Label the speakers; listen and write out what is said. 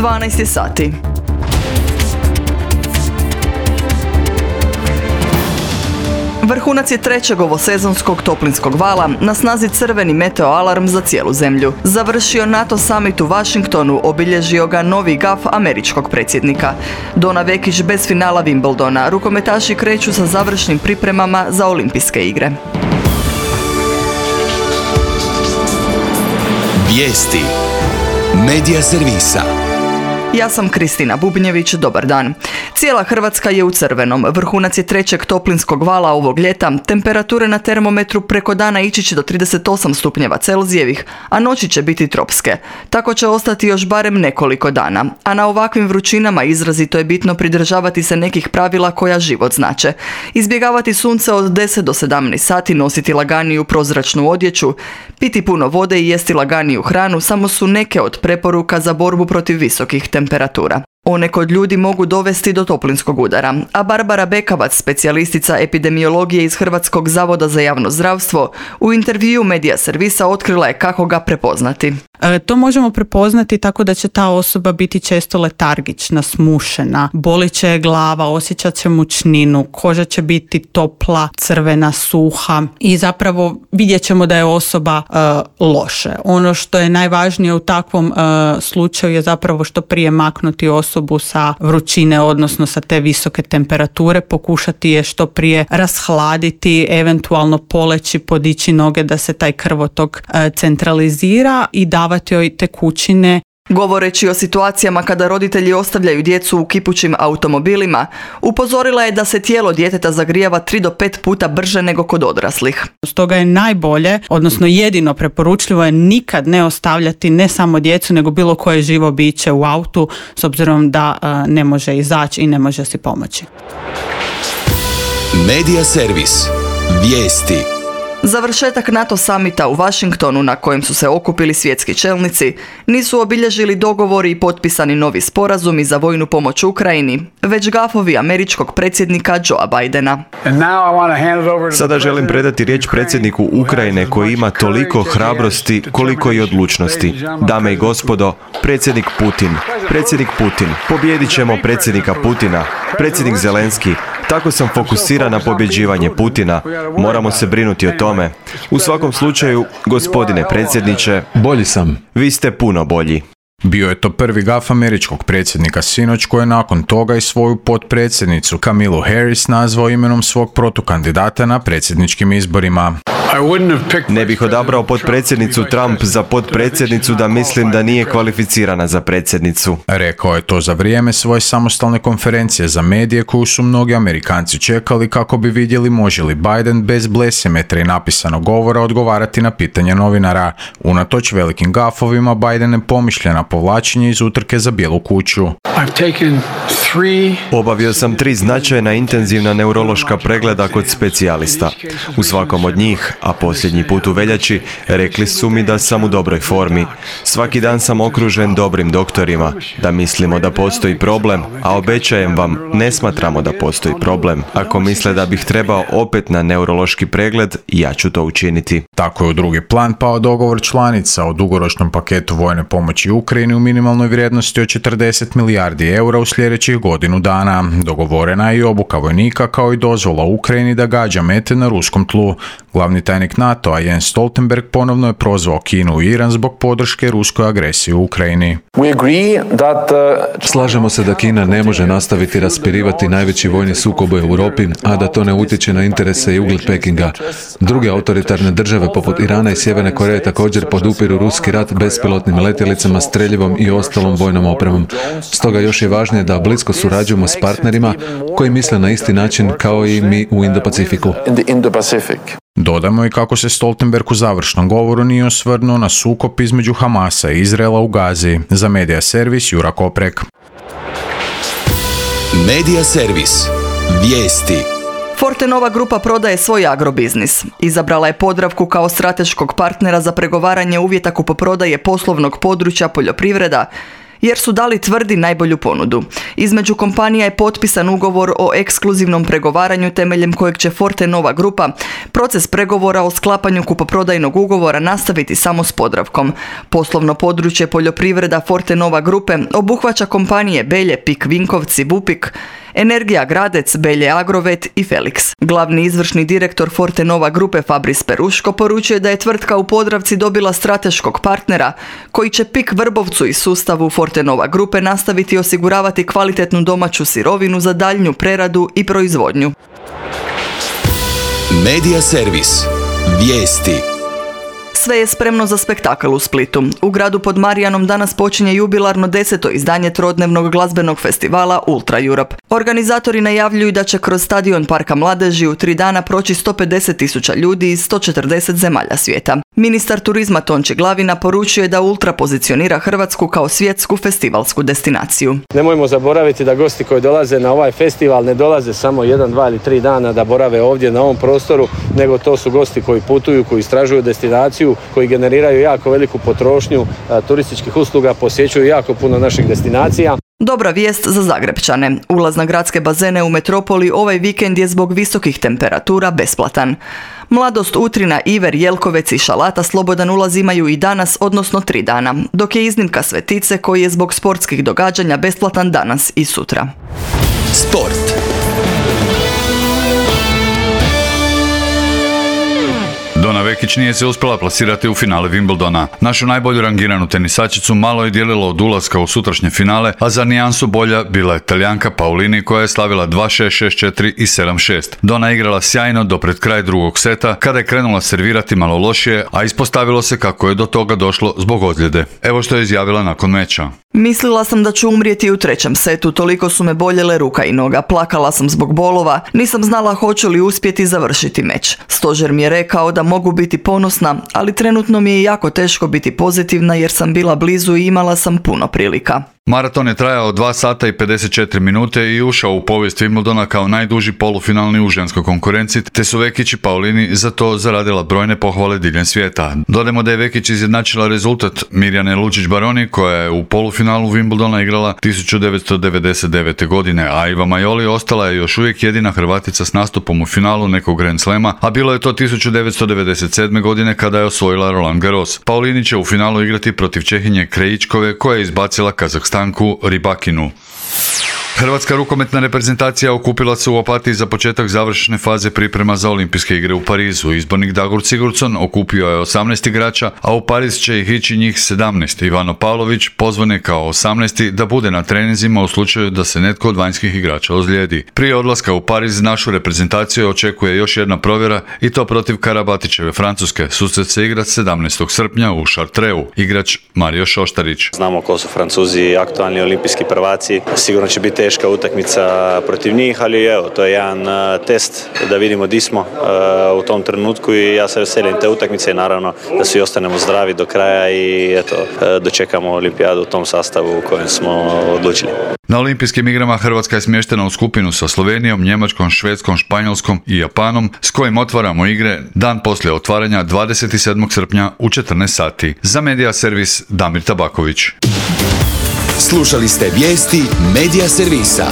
Speaker 1: 12 sati. Vrhunac je trećeg ovosezonskog toplinskog vala, na snazi crveni meteoalarm za cijelu zemlju. Završio NATO summit u Washingtonu, obilježio ga novi gaf američkog predsjednika. Dona Vekić bez finala Wimbledona, rukometaši kreću sa završnim pripremama za olimpijske igre.
Speaker 2: Vijesti Medija servisa.
Speaker 1: Ja sam Kristina Bubnjević, dobar dan. Cijela Hrvatska je u crvenom. Vrhunac je trećeg toplinskog vala ovog ljeta. Temperature na termometru preko dana ići će do 38 stupnjeva Celzijevih, a noći će biti tropske. Tako će ostati još barem nekoliko dana. A na ovakvim vrućinama izrazito je bitno pridržavati se nekih pravila koja život znače. Izbjegavati sunce od 10 do 17 sati, nositi laganiju prozračnu odjeću, piti puno vode i jesti laganiju hranu samo su neke od preporuka za borbu protiv visokih temperatura. One kod ljudi mogu dovesti do toplinskog udara, a Barbara Bekavac, specijalistica epidemiologije iz Hrvatskog zavoda za javno zdravstvo, u intervjuu Medija servisa otkrila je kako ga prepoznati.
Speaker 3: To možemo prepoznati tako da će ta osoba biti često letargična, smušena, bolit će glava, osjećat će mučninu, koža će biti topla, crvena, suha i zapravo vidjet ćemo da je osoba loše. Ono što je najvažnije u takvom slučaju je zapravo što prije maknuti osobu sa vrućine, odnosno sa te visoke temperature, pokušati je što prije rashladiti, eventualno poleći, podići noge da se taj krvotok centralizira i davati joj tekućine.
Speaker 1: Govoreći o situacijama kada roditelji ostavljaju djecu u kipućim automobilima, upozorila je da se tijelo djeteta zagrijava 3 do 5 puta brže nego kod odraslih.
Speaker 3: Stoga je najbolje, odnosno jedino preporučljivo je nikad ne ostavljati ne samo djecu nego bilo koje živo biće u autu s obzirom da ne može izaći i ne može si pomoći.
Speaker 2: Medija servis. Vijesti.
Speaker 1: Završetak NATO summita u Washingtonu, na kojem su se okupili svjetski čelnici, nisu obilježili dogovori i potpisani novi sporazumi za vojnu pomoć Ukrajini, već gafovi američkog predsjednika Joea Bidena.
Speaker 4: Sada želim predati riječ predsjedniku Ukrajine koji ima toliko hrabrosti koliko i odlučnosti. Dame i gospodo, predsjednik Putin, pobijedit ćemo predsjednika Putina, predsjednik Zelenski. Tako sam fokusiran na pobjeđivanje Putina. Moramo se brinuti o tome. U svakom slučaju, gospodine predsjedniče,
Speaker 5: bolji sam.
Speaker 4: Vi ste puno bolji.
Speaker 6: Bio je to prvi gaf američkog predsjednika sinoć koji je nakon toga i svoju potpredsjednicu Kamilu Harris nazvao imenom svog protukandidata na predsjedničkim izborima.
Speaker 4: Ne bih odabrao potpredsjednicu Trump za potpredsjednicu da mislim da nije kvalificirana za predsjednicu.
Speaker 6: Rekao je to za vrijeme svoje samostalne konferencije za medije koju su mnogi Amerikanci čekali kako bi vidjeli može li Biden bez blesimetra i napisanog govora odgovarati na pitanje novinara. Unatoč velikim gafovima Biden je pomišlja na povlačenje iz utrke za Bijelu kuću.
Speaker 4: Obavio sam 3 značajna intenzivna neurološka pregleda kod specijalista. U svakom od njih, a posljednji put u veljači, rekli su mi da sam u dobroj formi. Svaki dan sam okružen dobrim doktorima, da mislimo da postoji problem, a obećajem vam, ne smatramo da postoji problem. Ako misle da bih trebao opet na neurološki pregled, ja ću to učiniti.
Speaker 6: Tako je u drugi plan pao dogovor članica o dugoročnom paketu vojne pomoći Ukrajini u minimalnoj vrijednosti od 40 milijardi eura u sljedećih godinu dana. Dogovorena je i obuka vojnika kao i dozvola Ukrajini da gađa mete na ruskom tlu. Glavni tajnik NATO-a Jens Stoltenberg ponovno je prozvao Kinu i Iran zbog podrške ruskoj agresiji u Ukrajini.
Speaker 5: Slažemo se da Kina ne može nastaviti raspirivati najveći vojni sukob u Europi, a da to ne utječe na interese i ugled Pekinga. Druge autoritarne države poput Irana i Sjeverne Koreje također podupiru ruski rat bespilotnim letjelicama, streljivom i ostalom vojnom opremom. Stoga još je važnije da blisko surađujemo s partnerima koji misle na isti način kao i mi u Indo-Pacifiku.
Speaker 6: Dodamo i kako se Stoltenberg u završnom govoru nije osvrnuo na sukob između Hamasa i Izraela u Gazi. Za Medija servis Jura Koprek.
Speaker 2: Medija servis. Vijesti.
Speaker 1: Fortenova grupa prodaje svoj agrobiznis. Izabrala je Podravku kao strateškog partnera za pregovaranje uvjeta kupoprodaje poslovnog područja poljoprivreda jer su dali tvrdi najbolju ponudu. Između kompanija je potpisan ugovor o ekskluzivnom pregovaranju temeljem kojeg će Fortenova grupa proces pregovora o sklapanju kupoprodajnog ugovora nastaviti samo s Podravkom. Poslovno područje poljoprivreda Fortenova grupe obuhvaća kompanije Belje, Pik Vinkovci, Vupik, Energija Gradec, Belje Agrovet i Felix. Glavni izvršni direktor Fortenova grupe Fabris Peruško poručuje da je tvrtka u Podravci dobila strateškog partnera koji će Pik Vrbovcu i sustavu Fortenova grupe nastaviti osiguravati kvalitetnu domaću sirovinu za daljnju preradu i proizvodnju.
Speaker 2: Medija servis. Vijesti.
Speaker 1: Sve je spremno za spektakl u Splitu. U gradu pod Marijanom danas počinje jubilarno 10. izdanje trodnevnog glazbenog festivala Ultra Europe. Organizatori najavljuju da će kroz stadion Parka Mladeži u 3 dana proći 150.000 ljudi iz 140 zemalja svijeta. Ministar turizma Tonči Glavina poručuje da Ultra pozicionira Hrvatsku kao svjetsku festivalsku destinaciju.
Speaker 7: Nemojmo zaboraviti da gosti koji dolaze na ovaj festival ne dolaze samo 1, 2 ili 3 dana da borave ovdje na ovom prostoru, nego to su gosti koji putuju, koji istražuju destinaciju, koji generiraju jako veliku potrošnju turističkih usluga, posjećuju jako puno naših destinacija.
Speaker 1: Dobra vijest za Zagrepčane. Ulaz na gradske bazene u metropoli ovaj vikend je zbog visokih temperatura besplatan. Mladost, Utrina, Iver, Jelkovec i Šalata slobodan ulaz imaju i danas, odnosno 3 dana, dok je iznimka Svetice koji je zbog sportskih događanja besplatan danas i sutra.
Speaker 2: Sport.
Speaker 8: Donna Vekić nije se uspjela plasirati u finale Wimbledona. Našu najbolju rangiranu tenisačicu malo je dijelilo od ulaska u sutrašnje finale, a za nijansu bolja bila je Talijanka Paulini koja je slavila 2-6, 6-4 i 7-6. Donna je igrala sjajno do pred kraj drugog seta, kada je krenula servirati malo lošije, a ispostavilo se kako je do toga došlo zbog ozljede. Evo što je izjavila nakon meča.
Speaker 1: Mislila sam da ću umrijeti u 3. setu, toliko su me boljele ruka i noga, plakala sam zbog bolova, nisam znala hoću li uspjeti završiti meč. Stožer mi je rekao da mogu biti ponosna, ali trenutno mi je jako teško biti pozitivna jer sam bila blizu i imala sam puno prilika.
Speaker 8: Maraton je trajao 2 sata i 54 minute i ušao u povijest Wimbledona kao najduži polufinalni u ženskoj konkurenciji, te su Vekić i Paulini za to zaradila brojne pohvale diljem svijeta. Dodajmo da je Vekić izjednačila rezultat Mirjane Lučić-Baroni koja je u polufinalu Wimbledona igrala 1999. godine, a Iva Majoli ostala je još uvijek jedina Hrvatica s nastupom u finalu nekog Grand Slema, a bilo je to 1997. godine kada je osvojila Roland Garros. Paulini će u finalu igrati protiv Čehinje Krejičkove koja je izbacila Kazahstanku Ribakinu. Hrvatska rukometna reprezentacija okupila se u Opatiji za početak završne faze priprema za Olimpijske igre u Parizu. Izbornik Dagur Sigurdsson okupio je 18 igrača, a u Pariz će ih ići njih 17. Ivano Pavlović pozvan je kao 18. da bude na treninzima u slučaju da se netko od vanjskih igrača ozlijedi. Prije odlaska u Pariz našu reprezentaciju očekuje još jedna provjera i to protiv Karabatićeve Francuske. Susret se igra 17. srpnja u Chartreu. Igrač Mario Šoštarić.
Speaker 9: Znamo ko su Francuzi, aktualni olimpijski prvaci. Sigurno će biti teška utakmica protiv njih, ali evo, to je jedan test da vidimo di smo u tom trenutku i ja se veselim te utakmice i naravno da svi ostanemo zdravi do kraja i eto, dočekamo olimpijadu u tom sastavu u kojem smo odlučili.
Speaker 8: Na olimpijskim igrama Hrvatska je smještena u skupinu sa Slovenijom, Njemačkom, Švedskom, Španjolskom i Japanom, s kojim otvaramo igre dan poslije otvaranja 27. srpnja u 14 sati. Za Medija servis Damir Tabaković.
Speaker 2: Slušali ste vijesti Medija servisa.